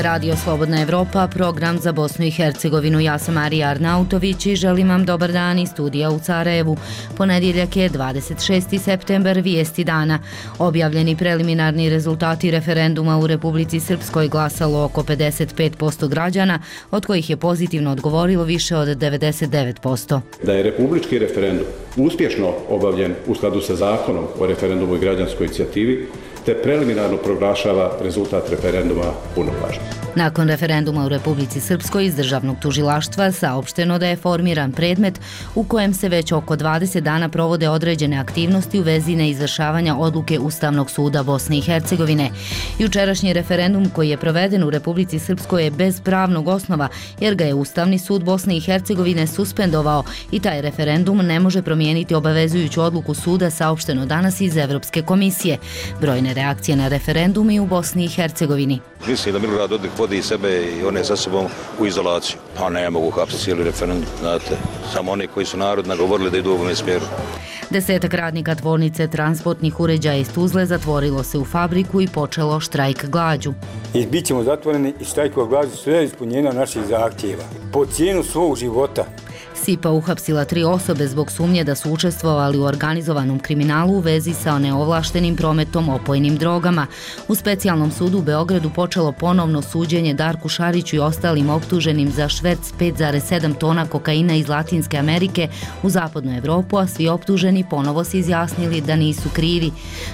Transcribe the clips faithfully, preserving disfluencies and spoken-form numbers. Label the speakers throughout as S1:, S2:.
S1: je Radio Slobodna Evropa, program za Bosnu i Hercegovinu. Ja sam Marija Arnautović i želim vam dobar dan iz studija u Sarajevu. Ponedjeljak je dvadeset šesti septembar, vijesti dana. Objavljeni preliminarni rezultati referenduma u Republici Srpskoj glasalo oko pedeset pet posto građana, od kojih je pozitivno odgovorilo više od devedeset devet posto.
S2: Da je republički referendum uspješno obavljen u skladu sa zakonom o referendumu i građanskoj inicijativi, te preliminarno proglašava rezultat referenduma punovažnim.
S1: Nakon referenduma u Republici Srpskoj iz državnog tužilaštva saopšteno da je formiran predmet u kojem se već oko dvadeset dana provode određene aktivnosti u vezi neizvršavanja odluke Ustavnog suda Bosne i Hercegovine. Jučerašnji referendum koji je proveden u Republici Srpskoj je bez pravnog osnova jer ga je Ustavni sud Bosne i Hercegovine suspendovao i taj referendum ne može promijeniti obavezujuću odluku suda, saopšteno danas iz Evropske komisije. Brojne reakcije na referendum i u Bosni i Hercegovini.
S3: Mislim da Milorad Dodik vodi sebe i one sa sobom u izolaciju. Pa ne mogu hapsiti cijeli referendum, znate. Samo oni koji su narod nagovorili da idu u ovome smjeru.
S1: Desetak radnika tvornice transportnih uređaja iz Tuzle zatvorilo se u fabriku i počelo štrajk glađu.
S4: I bit ćemo zatvoreni i štrajkova glađu sve ispunjenja naših zahtjeva. Po cijenu svog života.
S1: SIPA uhapsila tri osobe zbog sumnje da su učestvovali u organizovanom kriminalu u vezi sa neovlaštenim prometom opojnim drogama. U specijalnom sudu u Beogradu počelo ponovno suđenje Darku Šariću i ostalim optuženim za šverc pet zarez sedam tona kokaina iz Latinske Amerike u zapadnu Evropu, a svi optuženi ponovo se izjasnili da nisu krivi.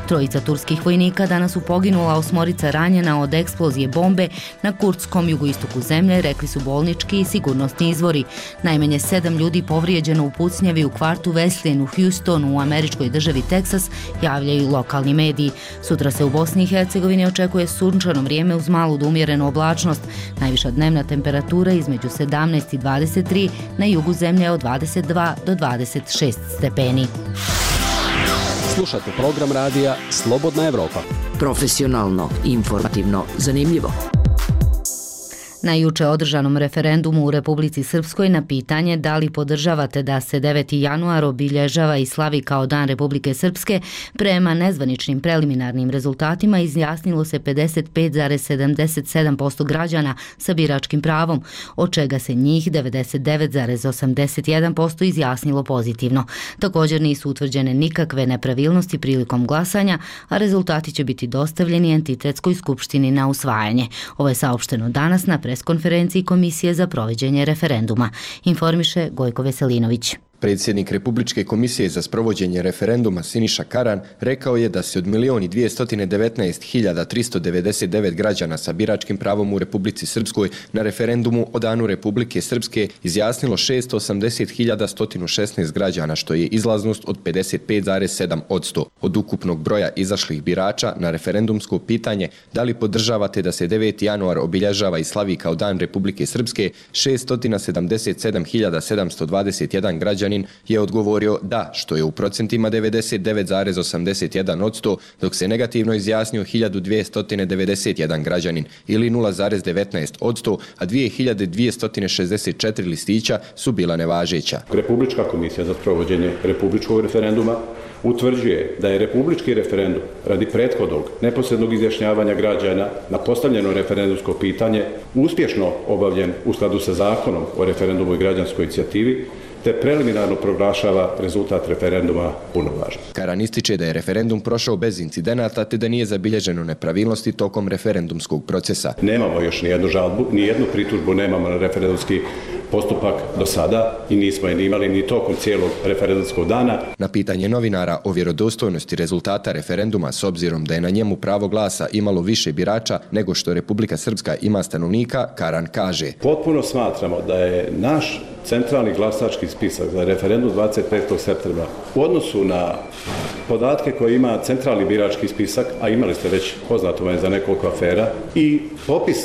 S1: Trojica turskih vojnika danas su poginula, osmorica ranjena od eksplozije bombe na kurdskom jugoistoku zemlje, rekli su bolnički i sigurnosni izvori. Najmanje sedam ljudi povrijeđeno u pucnjavi u kvartu Wesleyan u Houstonu u američkoj državi Teksas, javljaju lokalni mediji. Sutra se u Bosni i Hercegovini očekuje sunčano vrijeme uz malu do umjerenu oblačnost. Najviša dnevna temperatura između sedamnaest i dvadeset tri, na jugu zemlje od dvadeset dva do dvadeset šest stepeni.
S5: Slušate program radija Slobodna Evropa.
S6: Profesionalno, informativno, zanimljivo.
S1: Na juče održanom referendumu u Republici Srpskoj na pitanje da li podržavate da se deveti januar obilježava i slavi kao Dan Republike Srpske, prema nezvaničnim preliminarnim rezultatima izjasnilo se pedeset pet zarez sedamdeset sedam posto građana sa biračkim pravom, od čega se njih devedeset devet zarez osamdeset jedan posto izjasnilo pozitivno. Također nisu utvrđene nikakve nepravilnosti prilikom glasanja, a rezultati će biti dostavljeni Entitetskoj skupštini na usvajanje. Ovo je saopšteno danas na preskonferenciji Komisije za provođenje referenduma, informiše Gojko Veselinović.
S7: Predsjednik Republičke komisije za sprovođenje referenduma Siniša Karan rekao je da se od milion i dvjesto devetnaest hiljada tristo devedeset devet građana sa biračkim pravom u Republici Srpskoj na referendumu o Danu Republike Srpske izjasnilo šesto osamdeset hiljada sto šesnaest građana, što je izlaznost od pedeset pet zarez sedam posto. Od ukupnog broja izašlih birača na referendumsko pitanje da li podržavate da se deveti januar obilježava i slavi kao Dan Republike Srpske, šesto sedamdeset sedam hiljada sedamsto dvadeset jedan građana je odgovorio da, što je u procentima devedeset devet zarez osamdeset jedan posto, dok se negativno izjasnio hiljadu dvjesto devedeset jedan građanin ili nula zarez devetnaest posto, a dvije hiljade dvjesto šezdeset četiri listića su bila nevažeća.
S2: Republička komisija za sprovođenje republičkog referenduma utvrđuje da je republički referendum radi prethodnog neposrednog izjašnjavanja građana na postavljeno referendumsko pitanje uspješno obavljen u skladu sa zakonom o referendumu i građanskoj inicijativi, te preliminarno proglašava rezultat referenduma punovažnim.
S7: Karan ističe da je referendum prošao bez incidenata te da nije zabilježeno nepravilnosti tokom referendumskog procesa.
S2: Nemamo još ni jednu žalbu, ni jednu pritužbu nemamo na referendumski postupak do sada i nismo je ni imali ni tokom cijelog referendumskog dana.
S7: Na pitanje novinara o vjerodostojnosti rezultata referenduma s obzirom da je na njemu pravo glasa imalo više birača nego što Republika Srpska ima stanovnika, Karan kaže:
S2: Potpuno smatramo da je naš centralni glasački spisak za referendum dvadeset petog septembra u odnosu na podatke koje ima centralni birački spisak, a imali ste već poznato vam za nekoliko afera, i popis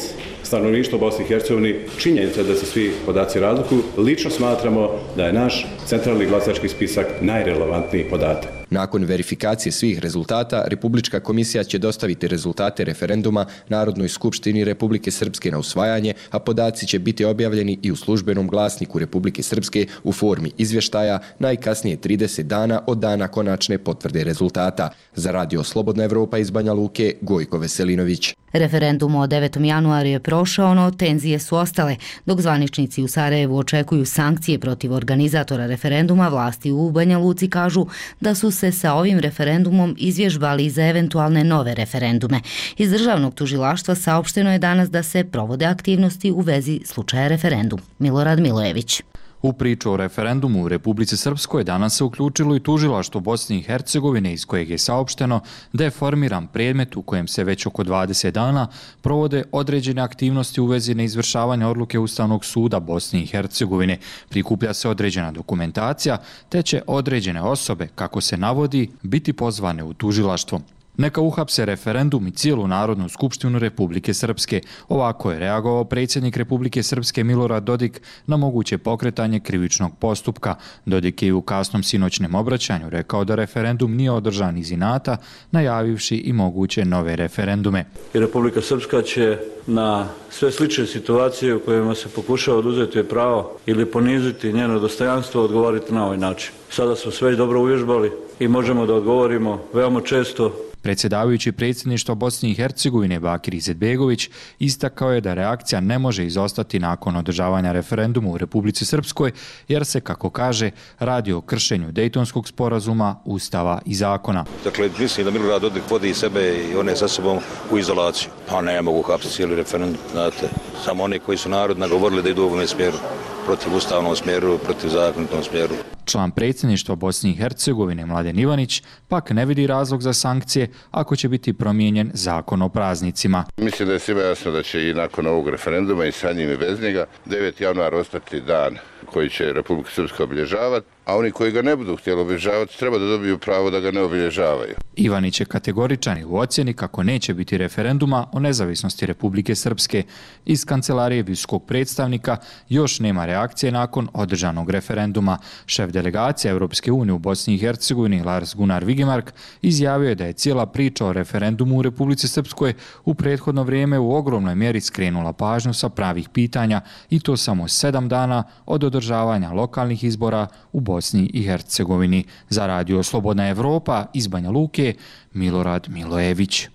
S2: stanovništva u Bosni i Hercegovini, činjenica da se svi podaci razlikuju, lično smatramo da je naš centralni glasački spisak najrelevantniji podatak.
S7: Nakon verifikacije svih rezultata, Republička komisija će dostaviti rezultate referenduma Narodnoj skupštini Republike Srpske na usvajanje, a podaci će biti objavljeni i u službenom glasniku Republike Srpske u formi izvještaja najkasnije trideset dana od dana konačne potvrde rezultata. Za Radio Slobodna Evropa iz Banja Luke, Gojko Veselinović.
S1: Referendum od devetog januara je prošao, no tenzije su ostale. Dok zvaničnici u Sarajevu očekuju sankcije protiv organizatora referenduma, vlasti u Banja Luci kažu da su se sa ovim referendumom izvježbali za eventualne nove referendume. Iz državnog tužilaštva saopšteno je danas da se provode aktivnosti u vezi slučaja referendum. Milorad Milojević.
S8: U priču o referendumu u Republici Srpskoj danas se uključilo i tužilaštvo Bosne i Hercegovine, iz kojeg je saopšteno da je formiran predmet u kojem se već oko dvadeset dana provode određene aktivnosti u vezi neizvršavanja odluke Ustavnog suda Bosne i Hercegovine. Prikuplja se određena dokumentacija, te će određene osobe, kako se navodi, biti pozvane u tužilaštvo. Neka uhapse referendum i cijelu Narodnu skupštinu Republike Srpske. Ovako je reagovao predsjednik Republike Srpske Milorad Dodik na moguće pokretanje krivičnog postupka. Dodik je u kasnom sinoćnem obraćanju rekao da referendum nije održan iz inata, najavivši i moguće nove referendume.
S9: I Republika Srpska će na sve slične situacije u kojima se pokušava oduzeti pravo ili poniziti njeno dostojanstvo odgovoriti na ovaj način. Sada smo sve dobro uvježbali i možemo da odgovorimo veoma često.
S8: Predsjedavajući predsjedništva Bosne i Hercegovine Bakir Izetbegović istakao je da reakcija ne može izostati nakon održavanja referenduma u Republici Srpskoj, jer se, kako kaže, radi o kršenju Dejtonskog sporazuma, Ustava i zakona.
S3: Dakle, mislim da Milorad Dodik vodi sebe i one sa sobom u izolaciju. Pa ne mogu hapsiti cijeli referendum, znate. Samo oni koji su narod nagovorili da idu u ovom smjeru, protiv ustavnom smjeru, protiv zakonitom smjeru.
S8: Član predsjedništva Bosne i Hercegovine Mladen Ivanić pak ne vidi razlog za sankcije ako će biti promijenjen zakon o praznicima.
S10: Mislim da je svima jasno da će i nakon ovog referenduma i sa njim i bez njega deveti januar ostati dan koji će Republika Srpska obilježavati, a oni koji ga ne budu htjeli obilježavati treba da dobiju pravo da ga ne obilježavaju.
S8: Ivanić je kategoričan u ocjeni kako neće biti referenduma o nezavisnosti Republike Srpske. Iz kancelarije visokog predstavnika još nema reakcije nakon održanog referenduma. Šef delegacije Europske unije u Bosni i Hercegovini Lars Gunnar Vigemark izjavio je da je cijela priča o referendumu u Republici Srpskoj u prethodno vrijeme u ogromnoj mjeri skrenula pažnju sa pravih pitanja, i to samo sedam dana od održavanja lokalnih izbora u Bosni i Hercegovini. Za Radio Slobodna Evropa iz Banja Luke, Milorad Milojević.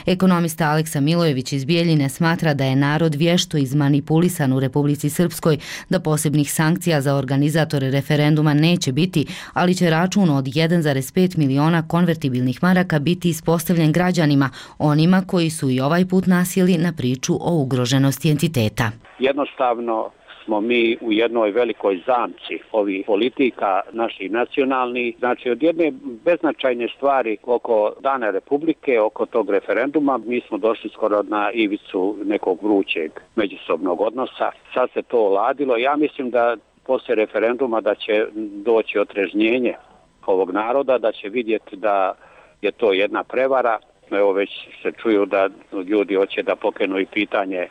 S1: Ekonomista Aleksa Milojević iz Bijeljine smatra da je narod vješto izmanipulisan u Republici Srpskoj, da posebnih sankcija za organizatore referenduma neće biti, ali će račun od jedan zarez pet miliona konvertibilnih maraka biti ispostavljen građanima, onima koji su i ovaj put nasjeli na priču o ugroženosti entiteta.
S11: Jednostavno smo mi u jednoj velikoj zamci ovih politika naših nacionalnih. Znači, od jedne beznačajne stvari oko Dana Republike, oko tog referenduma, mi smo došli skoro na ivicu nekog vrućeg međusobnog odnosa. Sad se to oladilo. Ja mislim da poslije referenduma da će doći otrežnjenje ovog naroda, da će vidjeti da je to jedna prevara. Evo, već se čuju da ljudi hoće da pokrenu i pitanje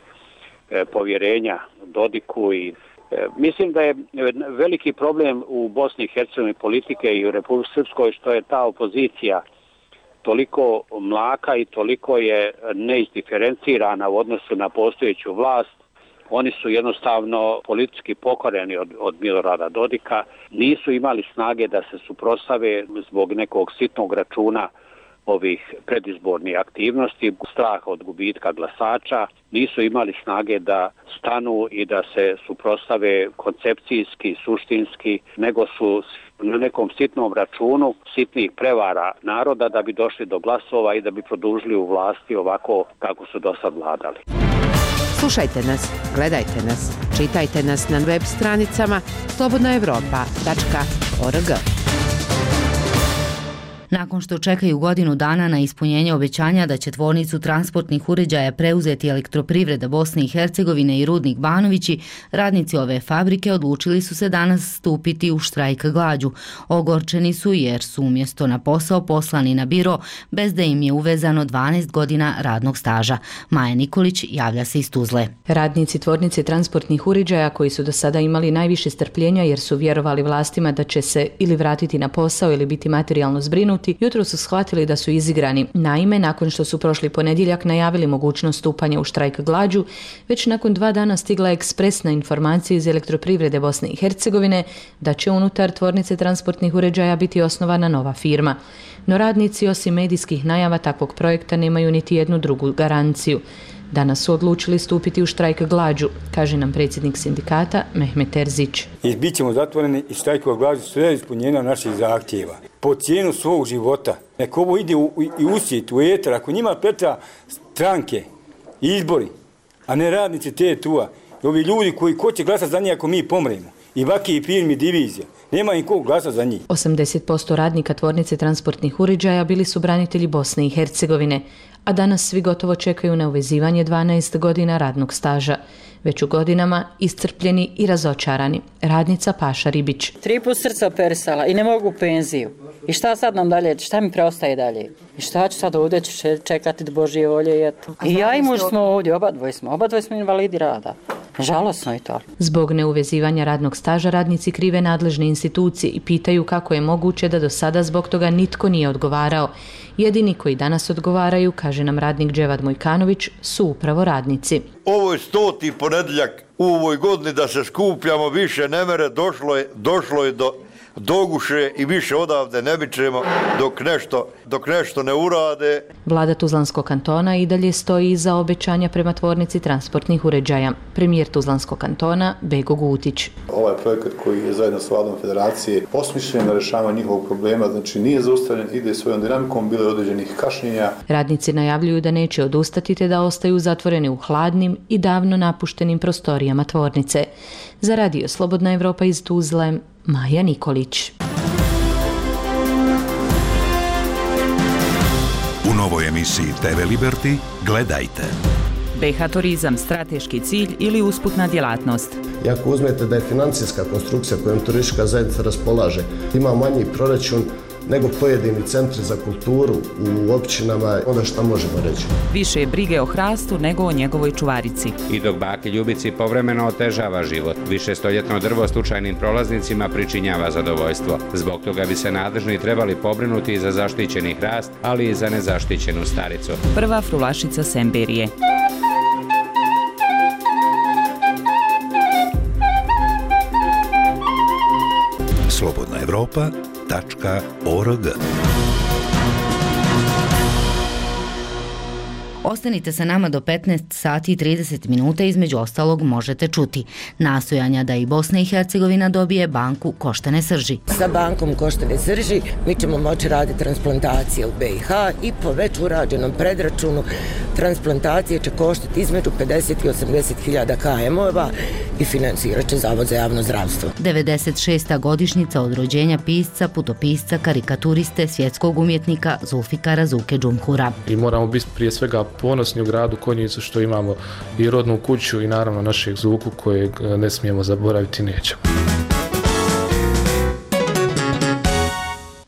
S11: povjerenja Dodiku i e, mislim da je veliki problem u Bosni i Hercegovini politike i u Republici Srpskoj što je ta opozicija toliko mlaka i toliko je neizdiferencirana u odnosu na postojeću vlast. Oni su jednostavno politički pokoreni od, od Milorada Dodika, nisu imali snage da se suprotstave zbog nekog sitnog računa ovih predizbornih aktivnosti, strah od gubitka glasača, nisu imali snage da stanu i da se suprotstave koncepcijski, suštinski, nego su na nekom sitnom računu sitnih prevara naroda da bi došli do glasova i da bi produžili u vlasti ovako kako su do sad vladali.
S12: Slušajte nas, gledajte nas, čitajte nas na web stranicama slobodna evropa tačka org.
S1: Nakon što čekaju godinu dana na ispunjenje obećanja da će tvornicu transportnih uređaja preuzeti Elektroprivreda Bosne i Hercegovine i Rudnik Banovići, radnici ove fabrike odlučili su se danas stupiti u štrajk glađu. Ogorčeni su jer su umjesto na posao poslani na biro bez da im je uvezano dvanaest godina radnog staža. Maja Nikolić javlja se iz Tuzle.
S13: Radnici tvornice transportnih uređaja koji su do sada imali najviše strpljenja jer su vjerovali vlastima da će se ili vratiti na posao ili biti materijalno zbrinuti, jutro su shvatili da su izigrani. Naime, nakon što su prošli ponedjeljak najavili mogućnost stupanja u štrajk glađu, već nakon dva dana stigla je ekspresna informacija iz Elektroprivrede Bosne i Hercegovine da će unutar tvornice transportnih uređaja biti osnovana nova firma. No radnici osim medijskih najava takvog projekta nemaju niti jednu drugu garanciju. Danas su odlučili stupiti u štrajk glađu, kaže nam predsjednik sindikata Mehmet Terzić.
S4: I bit ćemo zatvoreni i štrajkova glađu sve ispunjenja naših zahtjeva. Po cijenu svog života. Nek ovo ide u, u, u usjet, u eter. Ako njima preča stranke, izbori, a ne radnici te tua. I ovi ljudi koji ko će glasati za njih ako mi pomremo. I vaki i firmi divizija. Nema im kog glasa za njih.
S13: osamdeset posto radnika tvornice transportnih uređaja bili su branitelji Bosne i Hercegovine, a danas svi gotovo čekaju na uvezivanje dvanaest godina radnog staža. Već u godinama iscrpljeni i razočarani. Radnica Paša Ribić.
S14: Tri put srca operisala i ne mogu penziju. I šta sad nam dalje, šta mi preostaje dalje? I šta ću sad ovdje, ću čekati do Božje volje i eto. I ja i muž smo ovdje, oba dvoje smo, oba dvoje smo invalidi rada. Žalosno je to.
S13: Zbog neuvezivanja radnog staža radnici krive nadležne institucije i pitaju kako je moguće da do sada zbog toga nitko nije odgovarao. Jedini koji danas odgovaraju, kaže nam radnik Dževad Mojkanović, su upravo radnici.
S15: Ovo je stoti ponedjeljak u ovoj godini da se skupljamo, više ne mere, došlo je, došlo je do doguše i više odavde ne bićemo dok nešto, dok nešto ne urade.
S13: Vlada Tuzlanskog kantona i dalje stoji iza obećanja prema tvornici transportnih uređaja. Premijer Tuzlanskog kantona Bego Gutić.
S16: Ovaj projekat koji je zajedno s Vladom Federacije osmišljen na rješavanje njihovog problema, znači nije zaustavljen, ide svojom dinamikom, bilo je određenih kašnjenja.
S13: Radnici najavljuju da neće odustati te da ostaju zatvoreni u hladnim i davno napuštenim prostorijama tvornice. Za Radio Slobodna Evropa iz Tuzle, Maja Nikolić.
S17: U novoj emisiji te ve Liberty gledajte.
S18: be ha turizam strateški cilj ili usputna djelatnost.
S19: I ako uzmete da je financijska konstrukcija kojom turistička zajednica raspolaže, ima manji proračun nego pojedini centri za kulturu u općinama, onda šta možemo reći?
S18: Više je brige o hrastu nego o njegovoj čuvarici.
S20: I dok baki Ljubici povremeno otežava život, više stoljetno drvo slučajnim prolaznicima pričinjava zadovoljstvo. Zbog toga bi se nadležni trebali pobrinuti i za zaštićeni hrast, ali i za nezaštićenu staricu.
S18: Prva frulašica Semberije.
S17: Slobodna Evropa tačka org.
S1: Ostanite sa nama do petnaest sati i trideset minuta, između ostalog možete čuti nastojanja da i Bosna i Hercegovina dobije banku koštane srži.
S21: Sa bankom koštane srži mi ćemo moći raditi transplantacije u be i ha i po već urađenom predračunu transplantacije će koštati između pedeset i osamdeset hiljada ka emova i financirat će Zavod za javno zdravstvo.
S1: devedeset šesta godišnjica od rođenja pisca, putopisca, karikaturiste, svjetskog umjetnika Zulfikara Zuke Džumhura.
S22: I moramo biti prije svega ponosni u gradu Konjicu što imamo i rodnu kuću i naravno našeg Zuku kojeg ne smijemo zaboraviti, nećemo.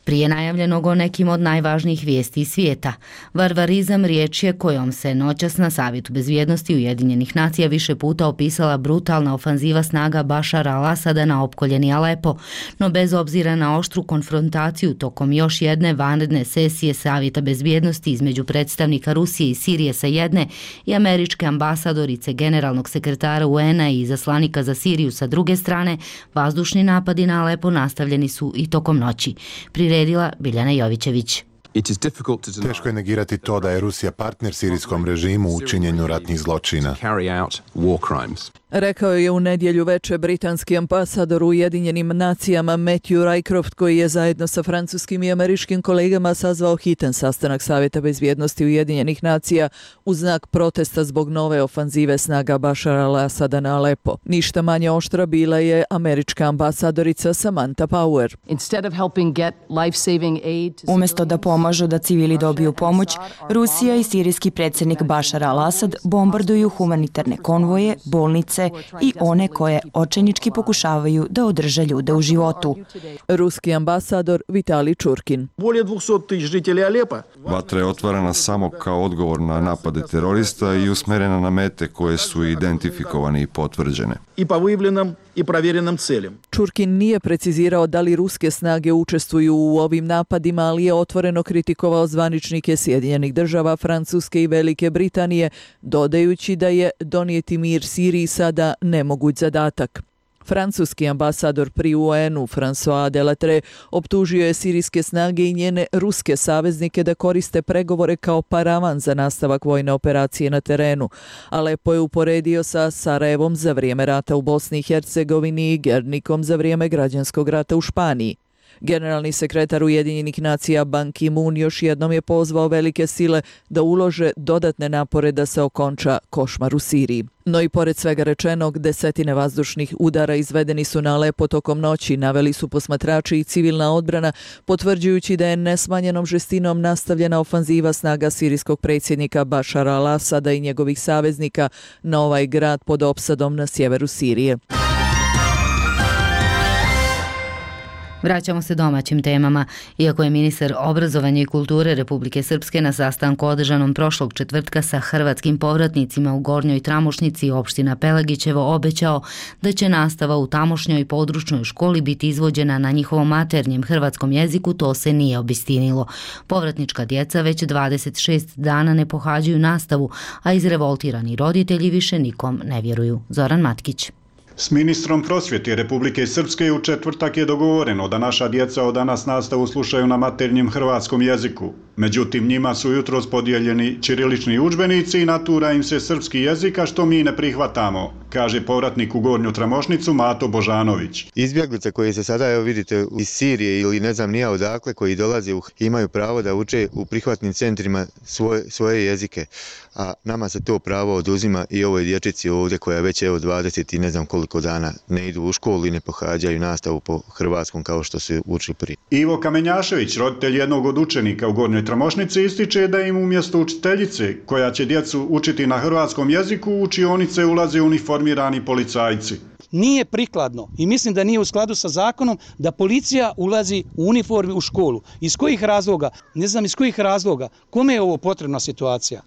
S1: Prije najavljenog o nekim od najvažnijih vijesti iz svijeta. Varvarizam riječ je kojom se noćas na Savjetu bezbjednosti Ujedinjenih nacija više puta opisala brutalna ofanziva snaga Bašara al-Asada na opkoljeni Alepo, no bez obzira na oštru konfrontaciju tokom još jedne vanredne sesije Savjeta bezbjednosti između predstavnika Rusije i Sirije sa jedne i američke ambasadorice generalnog sekretara u en a i izaslanika za Siriju sa druge strane, vazdušni napadi na Alepo nastavljeni su i tokom noći. Priredila Biljana Jovićević.
S23: Teško je negirati to da je Rusija partner sirijskom režimu u činjenju ratnih zločina.
S2: Rekao je u nedjelju veče britanski ambasador u Ujedinjenim nacijama Matthew Rycroft, koji je zajedno sa francuskim i američkim kolegama sazvao hitan sastanak Savjeta bezbjednosti Ujedinjenih nacija u znak protesta zbog nove ofanzive snaga Bašara al-Asada na Alepo. Ništa manje oštra bila je američka ambasadorica Samantha Power.
S5: Umjesto da pomažu da civili dobiju pomoć, Rusija i sirijski predsjednik Bašar al-Asad bombarduju humanitarne konvoje, bolnice i one koje očajnički pokušavaju da održe ljude u životu.
S2: Ruski ambasador Vitalij Čurkin.
S6: Vatra je otvorena samo kao odgovor na napade terorista i usmjerena na mete koje su identifikovane i potvrđene.
S2: Čurkin nije precizirao da li ruske snage učestvuju u ovim napadima, ali je otvoreno kritikovao zvaničnike Sjedinjenih država, Francuske i Velike Britanije, dodajući da je donijeti mir Siriji sada nemoguć zadatak. Francuski ambasador pri U N-u François Delattre optužio je sirijske snage i njene ruske saveznike da koriste pregovore kao paravan za nastavak vojne operacije na terenu. Alepo je uporedio sa Sarajevom za vrijeme rata u Bosni i Hercegovini i Gernikom za vrijeme građanskog rata u Španiji. Generalni sekretar Ujedinjenih nacija Ban Ki-moon još jednom je pozvao velike sile da ulože dodatne napore da se okonča košmar u Siriji. No i pored svega rečenog, desetine vazdušnih udara izvedeni su na Alepo tokom noći, naveli su posmatrači i civilna odbrana, potvrđujući da je nesmanjenom žestinom nastavljena ofanziva snaga sirijskog predsjednika Bašara al-Asada i njegovih saveznika na ovaj grad pod opsadom na sjeveru Sirije.
S1: Vraćamo se domaćim temama. Iako je ministar obrazovanja i kulture Republike Srpske na sastanku održanom prošlog četvrtka sa hrvatskim povratnicima u Gornjoj Tramošnici opština Pelagićevo obećao da će nastava u tamošnjoj područnoj školi biti izvođena na njihovom maternjem hrvatskom jeziku, to se nije obistinilo. Povratnička djeca već dvadeset šest dana ne pohađaju nastavu, a izrevoltirani roditelji više nikom ne vjeruju. Zoran Matkić.
S24: S ministrom prosvjete Republike Srpske u četvrtak je dogovoreno da naša djeca od danas nastavu slušaju na maternjem hrvatskom jeziku. Međutim, njima su jutros podijeljeni ćirilični udžbenici i natura im se srpski jezik, a što mi ne prihvatamo, kaže povratnik u Gornju Tramošnicu Mato Božanović.
S25: Izbjeglice koji se sada, evo vidite, iz Sirije ili ne znam nija odakle, koji dolaze u, imaju pravo da uče u prihvatnim centrima svoje, svoje jezike, a nama se to pravo oduzima i ovoj dječici ovdje koja već evo dvadeset i ne znam koliko dana ne idu u školu i ne pohađaju nastavu po hrvatskom kao što su učili prije.
S24: Ivo Kamenjašević, roditelj jednog od učenika u Gornjoj Tramošnici, ističe da im umjesto učiteljice koja će djecu učiti na hrvatskom jeziku u učionice ulaze uniformirani policajci.
S26: Nije prikladno i mislim da nije u skladu sa zakonom da policija ulazi u uniformi u školu. Iz kojih razloga? Ne znam iz kojih razloga. Kome je ovo potrebna situacija?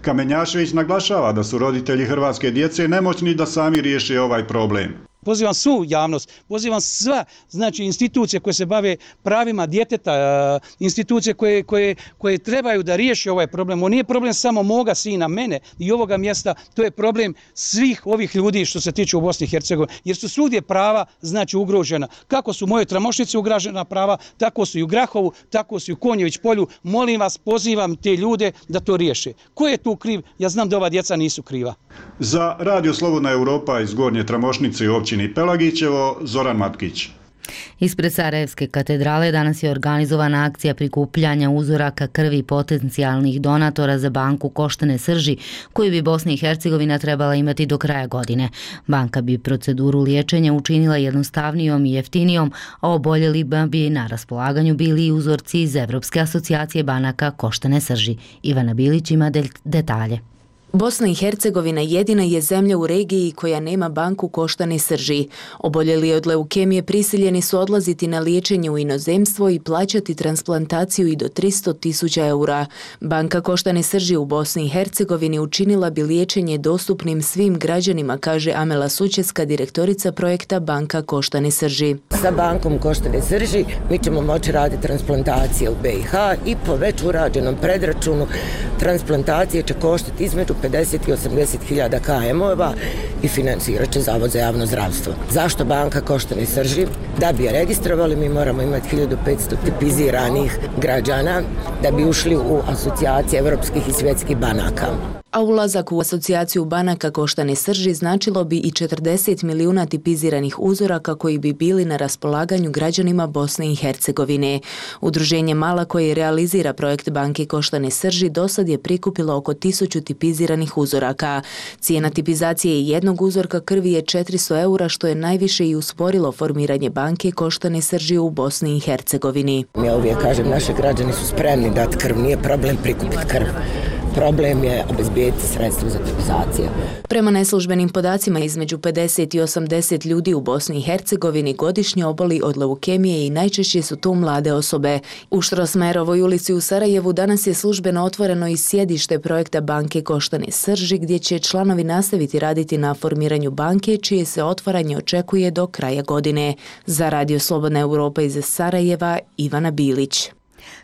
S24: Kamenjašević naglašava da su roditelji hrvatske djece nemoćni da sami riješe ovaj problem.
S26: Pozivam svu javnost, pozivam sva znači, institucije koje se bave pravima djeteta, institucije koje, koje, koje trebaju da riješe ovaj problem. On nije problem samo moga sina, mene i ovoga mjesta, to je problem svih ovih ljudi što se tiče u Bosni i Hercegovini, jer su svugdje prava znači, ugrožena. Kako su u mojoj Tramošnici ugrožena prava, tako su i u Grahovu, tako su i u Konjević polju. Molim vas, pozivam te ljude da to riješe. Ko je tu kriv? Ja znam da ova djeca nisu kriva.
S24: Za Radio Slobodna Europa iz Gornje Tramošnice i općini Pelagićevo, Zoran Matkić.
S1: Ispred Sarajevske katedrale danas je organizovana akcija prikupljanja uzoraka krvi potencijalnih donatora za banku koštane srži, koju bi Bosna i Hercegovina trebala imati do kraja godine. Banka bi proceduru liječenja učinila jednostavnijom i jeftinijom, a oboljelima bi na raspolaganju bili i uzorci iz Evropske asocijacije banaka koštane srži. Ivana Bilić ima detalje.
S27: Bosna i Hercegovina jedina je zemlja u regiji koja nema banku koštane srži. Oboljeli od leukemije prisiljeni su odlaziti na liječenje u inozemstvo i plaćati transplantaciju i do tristo tisuća eura. Banka koštane srži u Bosni i Hercegovini učinila bi liječenje dostupnim svim građanima, kaže Amela Sučeska, direktorica projekta Banka koštane srži.
S21: Sa bankom koštane srži mi ćemo moći raditi transplantacije u B i H i po već urađenom predračunu transplantacije će koštati između pedeset i osamdeset hiljada ka emova i financirat će Zavod za javno zdravstvo. Zašto banka koštane srži? Da bi je registrovali mi moramo imati hiljadu petsto tipiziranih građana da bi ušli u asocijacije evropskih i svjetskih banaka.
S27: A ulazak u asocijaciju banaka koštane srži značilo bi i četrdeset milijuna tipiziranih uzoraka koji bi bili na raspolaganju građanima Bosne i Hercegovine. Udruženje Mala koje realizira projekt banke koštane srži dosad je prikupilo oko tisuću tipiziranih uzoraka. Cijena tipizacije jednog uzorka krvi je četiristo eura, što je najviše i usporilo formiranje banke koštane srži u Bosni i Hercegovini.
S21: Ja uvijek kažem, naši građani su spremni dati krv, nije problem prikupiti krv. Problem je obezbijeti sredstvo za tipizaciju.
S27: Prema neslužbenim podacima, između pedeset i osamdeset ljudi u Bosni i Hercegovini godišnje oboli od leukemije i najčešće su to mlade osobe. U Štrosmajerovoj ulici u Sarajevu danas je službeno otvoreno i sjedište projekta banke koštane srži, gdje će članovi nastaviti raditi na formiranju banke, čije se otvaranje očekuje do kraja godine. Za Radio Slobodna Europa iz Sarajeva, Ivana Bilić.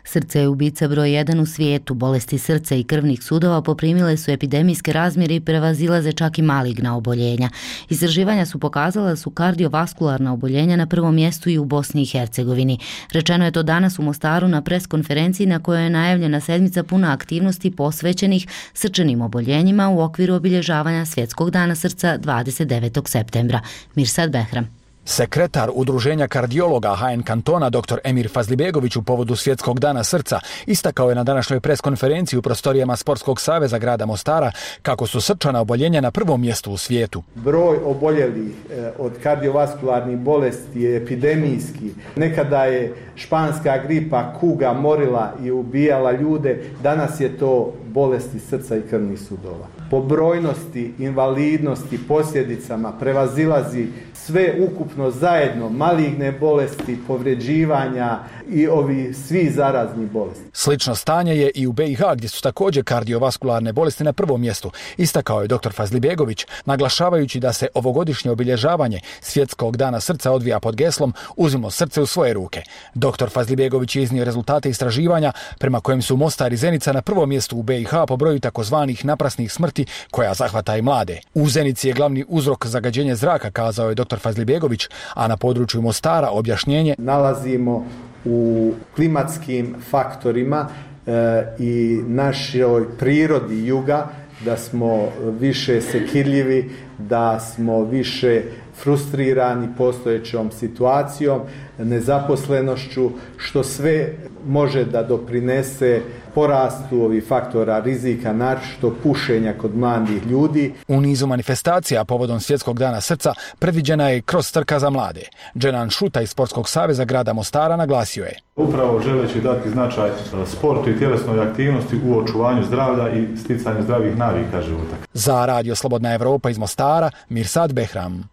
S1: Srce je ubica broj jedan u svijetu. Bolesti srca i krvnih sudova poprimile su epidemijske razmjere i prevazilaze čak i maligna oboljenja. Istraživanja su pokazala da su kardiovaskularna oboljenja na prvom mjestu i u Bosni i Hercegovini. Rečeno je to danas u Mostaru na preskonferenciji na kojoj je najavljena sedmica puna aktivnosti posvećenih srčanim oboljenjima u okviru obilježavanja Svjetskog dana srca dvadeset devetog septembra. Mirsad Behram.
S3: Sekretar Udruženja kardiologa H N kantona dr Emir Fazlibegović u povodu Svjetskog dana srca istakao je na današnjoj preskonferenciji u prostorijama Sportskog saveza grada Mostara kako su srčana oboljenja na prvom mjestu u svijetu.
S7: Broj oboljelih od kardiovaskularnih bolesti je epidemijski. Nekada je španska gripa, kuga morila i ubijala ljude, danas je to bolesti srca i krvnih sudova. Po brojnosti, invalidnosti, posljedicama prevazilazi sve ukupno zajedno, maligne bolesti, povređivanja i ovi svi zarazni bolesti.
S3: Slično stanje je i u B i H gdje su također kardiovaskularne bolesti na prvom mjestu, istakao je dr Fazlibegović, naglašavajući da se ovogodišnje obilježavanje Svjetskog dana srca odvija pod geslom Uzmimo srce u svoje ruke. dr Fazlibegović je iznio rezultate istraživanja prema kojem su Mostar i Zenica na prvom mjestu u B i H po broju takozvanih naprasnih smrti koja zahvata i mlade. U Zenici je glavni uzrok zagađenje zraka, kazao je dr Fazlibegović, a na području Mostara objašnjenje:
S7: nalazimo u klimatskim faktorima e, i našoj prirodi juga, da smo više sekirljivi, da smo više frustrirani postojećom situacijom, nezaposlenošću, što sve može da doprinese porastu ovih faktora rizika, naročito pušenja kod mladih ljudi.
S3: U nizu manifestacija povodom Svjetskog dana srca predviđena je kroz trka za mlade. Dženan Šuta iz Sportskog saveza grada Mostara naglasio je:
S8: upravo želeći dati značaj sportu i tjelesnoj aktivnosti u očuvanju zdravlja i sticanju zdravih navika života.
S3: Za Radio Slobodna Evropa iz Mostara, Mirsad Behram.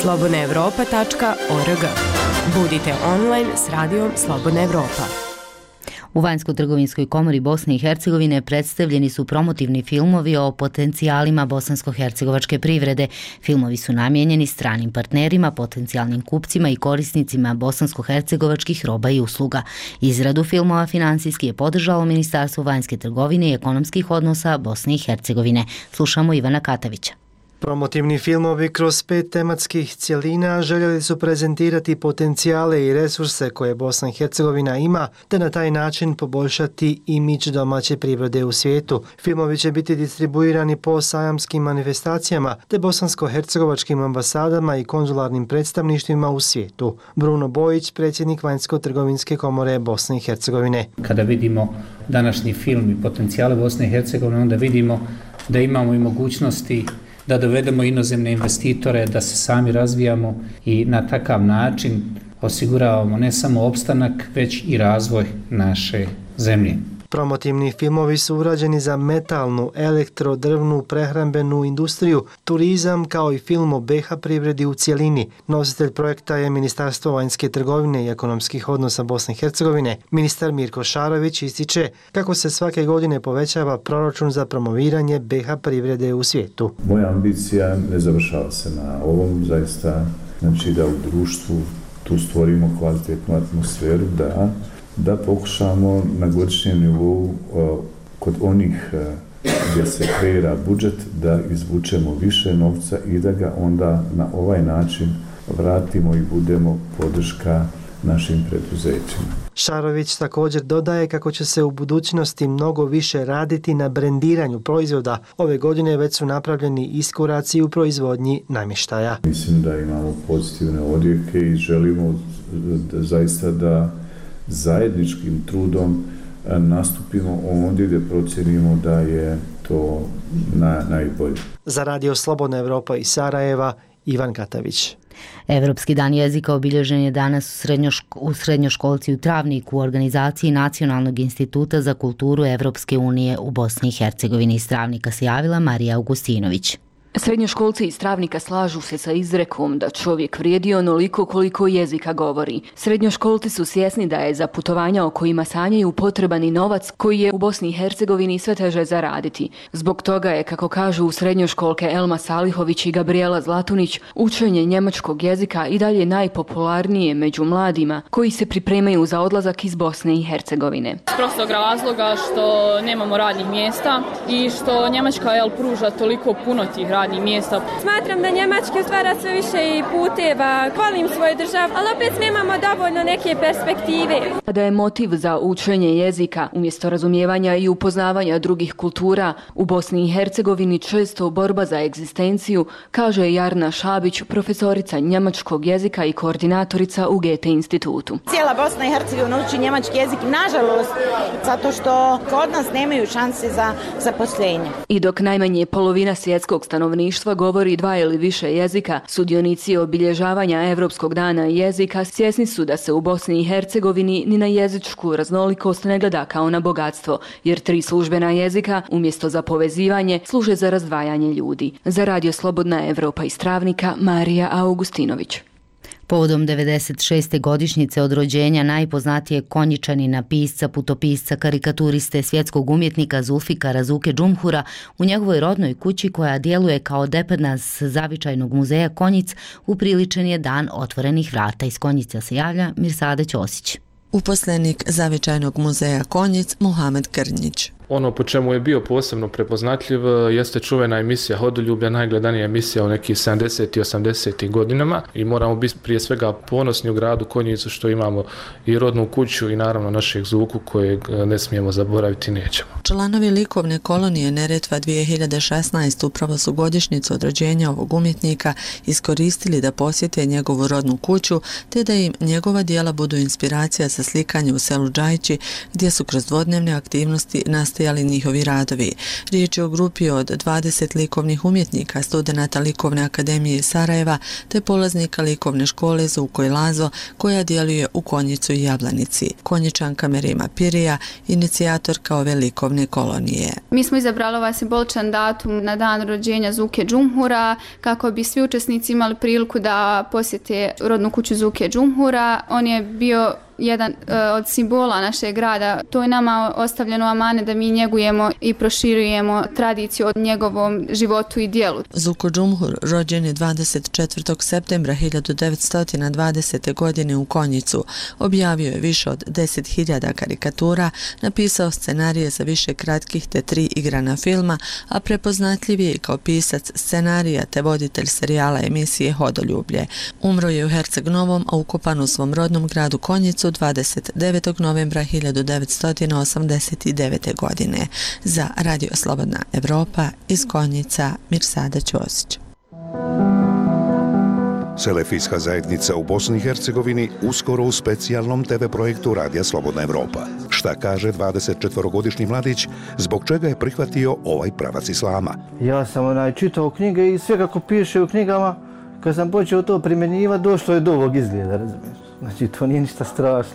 S9: slobodna evropa tačka org. Budite online s radijom Slobodna Evropa.
S1: U Vanjsko-trgovinskoj komori Bosne i Hercegovine predstavljeni su promotivni filmovi o potencijalima bosansko-hercegovačke privrede. Filmovi su namijenjeni stranim partnerima, potencijalnim kupcima i korisnicima bosansko-hercegovačkih roba i usluga. Izradu filmova finansijski je podržalo Ministarstvo vanjske trgovine i ekonomskih odnosa Bosne i Hercegovine. Slušamo Ivana Katavića.
S10: Promotivni filmovi kroz pet tematskih cjelina željeli su prezentirati potencijale i resurse koje Bosna i Hercegovina ima, te na taj način poboljšati imidž domaće privrede u svijetu. Filmovi će biti distribuirani po sajamskim manifestacijama te bosansko-hercegovačkim ambasadama i konzularnim predstavništvima u svijetu. Bruno Bojić, predsjednik Vanjsko-trgovinske komore Bosne i Hercegovine.
S11: Kada vidimo današnji film i potencijale Bosne i Hercegovine, onda vidimo da imamo i mogućnosti da dovedemo inozemne investitore, da se sami razvijamo i na takav način osiguravamo ne samo opstanak, već i razvoj naše zemlje.
S10: Promotivni filmovi su urađeni za metalnu, elektro, drvnu, prehrambenu industriju, turizam kao i film o B H privredi u cjelini. Nositelj projekta je Ministarstvo vanjske trgovine i ekonomskih odnosa Bosne i Hercegovine. Ministar Mirko Šarović ističe kako se svake godine povećava proračun za promoviranje B H privrede u svijetu.
S12: Moja ambicija ne završava se na ovom, zaista, znači da u društvu tu stvorimo kvalitetnu atmosferu, da da pokušamo na godišnjem nivou kod onih gdje se kreira budžet da izvučemo više novca i da ga onda na ovaj način vratimo i budemo podrška našim preduzećima.
S10: Šarović također dodaje kako će se u budućnosti mnogo više raditi na brendiranju proizvoda. Ove godine već su napravljeni iskoraci u proizvodnji namještaja.
S12: Mislim da imamo pozitivne odjeke i želimo da, zaista da zajedničkim trudom nastupimo ondje gdje procjenimo da je to na, najbolje.
S10: Za Radio Slobodna Evropa iz Sarajeva, Ivan Katavić.
S1: Evropski dan jezika obilježen je danas u, srednjoško, u srednjoškolci u Travniku u organizaciji Nacionalnog instituta za kulturu Evropske unije u Bosni i Hercegovini. Iz Travnika se javila Marija Augustinović.
S4: Srednjoškolci iz Travnika slažu se sa izrekom da čovjek vrijedi onoliko koliko jezika govori. Srednjoškolci su svjesni da je za putovanja o kojima sanjaju potreban i novac koji je u Bosni i Hercegovini sve teže zaraditi. Zbog toga je, kako kažu u srednjoškolke Elma Salihović i Gabriela Zlatunić, učenje njemačkog jezika i dalje najpopularnije među mladima koji se pripremaju za odlazak iz Bosne i Hercegovine.
S13: S prostog razloga što nemamo radnih mjesta i što Njemačka jel, pruža toliko puno tih radnih mjesta.
S14: Smatram da Njemački stvara sve više i puteva, volim svoju državu, ali opet nemamo dovoljno neke perspektive.
S4: Da je motiv za učenje jezika umjesto razumijevanja i upoznavanja drugih kultura u Bosni i Hercegovini često borba za egzistenciju, kaže Jarna Šabić, profesorica njemačkog jezika i koordinatorica u Goethe institutu.
S15: Cijela Bosna i Hercegovina uči njemački jezik, nažalost, zato što kod nas nemaju šanse za zaposlenje.
S4: I dok najmanje polovina svjetskog stanovništva govori dva ili više jezika, sudionici obilježavanja Evropskog dana jezika svjesni su da se u Bosni i Hercegovini ni na jezičku raznolikost ne gleda kao na bogatstvo, jer tri službena jezika, umjesto za povezivanje, služe za razdvajanje ljudi. Za Radio Slobodna Evropa iz Travnika, Marija Augustinović.
S1: Povodom devedeset šeste godišnjice od rođenja najpoznatijeg Konjičanina, pisca, putopisca, karikaturiste, svjetskog umjetnika Zulfikara Zuke Džumhura, u njegovoj rodnoj kući koja djeluje kao dependas zavičajnog muzeja Konjic, upriličen je dan otvorenih vrata. Iz Konjica se javlja Mirsada Ćosić.
S16: Uposlenik zavičajnog muzeja Konjic Muhamed Krnjić.
S22: Ono po čemu je bio posebno prepoznatljiv jeste čuvena emisija Hodoljublja, najgledanija emisija u nekih sedamdesetih i osamdesetih godinama i moramo biti prije svega ponosni u gradu Konjicu što imamo i rodnu kuću i naravno našeg Zuku kojeg ne smijemo zaboraviti, nećemo.
S16: Članovi likovne kolonije Neretva dvije hiljade šesnaeste upravo su godišnjicu od rođenja ovog umjetnika iskoristili da posjete njegovu rodnu kuću te da im njegova dijela budu inspiracija za slikanje u selu Džajči gdje su kroz dvodnevne aktivnosti nastavili ali njihovi radovi. Riječ je o grupi od dvadeset likovnih umjetnika, studenata Likovne akademije iz Sarajeva te polaznika likovne škole Zuko i Lazo koja djeluje u Konjicu i Jablanici. Konjičanka Merima Pirija, inicijatorka ove likovne kolonije.
S19: Mi smo izabrali ovaj simboličan datum na dan rođenja Zuke Džumhura kako bi svi učesnici imali priliku da posjete rodnu kuću Zuke Džumhura. On je bio jedan uh, od simbola našeg grada. To je nama ostavljeno amane da mi njegujemo i proširujemo tradiciju od njegovom životu i dijelu.
S16: Zuko Džumhur rođen je dvadeset četvrtog septembra hiljadu devetsto dvadesete. godine u Konjicu. Objavio je više od deset hiljada karikatura, napisao scenarije za više kratkih te tri igrana filma, a prepoznatljiv je kao pisac scenarija te voditelj serijala emisije Hodoljublje. Umro je u Herceg Novom, a ukopan u svom rodnom gradu Konjicu dvadeset devetog novembra hiljadu devetsto osamdeset devete. godine. Za Radio Slobodna Evropa iz Konjica Mirsada Ćosić.
S17: Selefijska zajednica u Bosni i Hercegovini uskoro u specijalnom te ve projektu Radija Slobodna Evropa. Šta kaže dvadesetčetvorogodišnji mladić, zbog čega je prihvatio ovaj pravac islama?
S20: Ja sam onaj čitao knjige i sve kako piše u knjigama, kad sam počeo to primjenjivati, došlo je do ovog izgleda, razumiješ? Znači, to nije ništa strašno.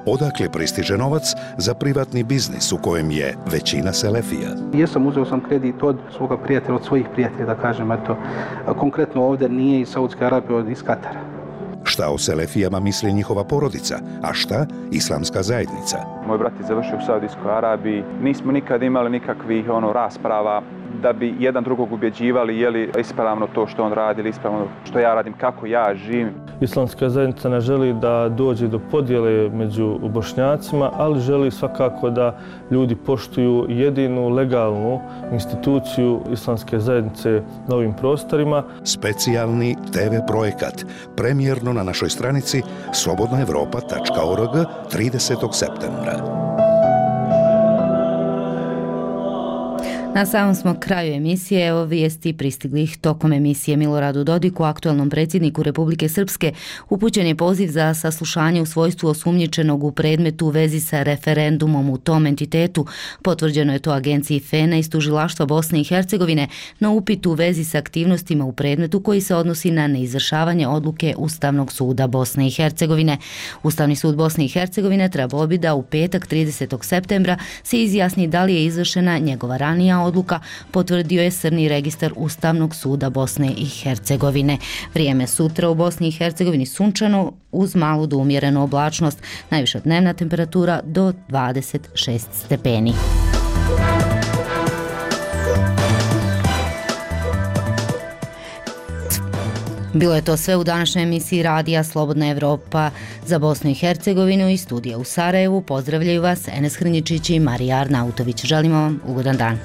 S17: Odakle pristiže novac za privatni biznis u kojem je većina selefija?
S28: Jesam, uzeo sam kredit od svoga prijatelja, od svojih prijatelja, da kažem, eto, konkretno ovdje nije iz Saudske Arabije, od iz Katara.
S17: Šta o selefijama misli njihova porodica, a šta islamska zajednica?
S29: Moj brat je završio u Saudijskoj Arabiji, nismo nikad imali nikakvih ono rasprava.
S2: da bi jedan drugog ubjeđivali je li ispravno to što on radi ili ispravno što ja radim, kako ja živim.
S5: Islamska zajednica ne želi da dođe do podjele među Bošnjacima, ali želi svakako da ljudi poštuju jedinu legalnu instituciju Islamske zajednice na ovim prostorima.
S17: Specijalni te ve projekat, premijerno na našoj stranici slobodna evropa tačka org tridesetog septembra.
S1: Na samom smo kraju emisije, evo vijesti pristiglih tokom emisije. Miloradu Dodiku, aktualnom predsjedniku Republike Srpske, upućen je poziv za saslušanje u svojstvu osumnjičenog u predmetu u vezi sa referendumom u tom entitetu. Potvrđeno je to agenciji FENA iz tužilaštva Bosne i Hercegovine na upit u vezi sa aktivnostima u predmetu koji se odnosi na neizvršavanje odluke Ustavnog suda Bosne i Hercegovine. Ustavni sud Bosne i Hercegovine trebao bi da u petak tridesetog septembra se izjasni da li je izvršena njegova ranija odluka, potvrdio je Crni registar Ustavnog suda Bosne i Hercegovine. Vrijeme sutra u Bosni i Hercegovini sunčano uz malu do umjerenu oblačnost, najviša dnevna temperatura do dvadeset šest stepeni. Bilo je to sve u današnjoj emisiji radija Slobodna Evropa za Bosnu i Hercegovinu i studija u Sarajevu. Pozdravljaju vas Enes Hrnjičić i Marija Arnautović. Želimo vam ugodan dan.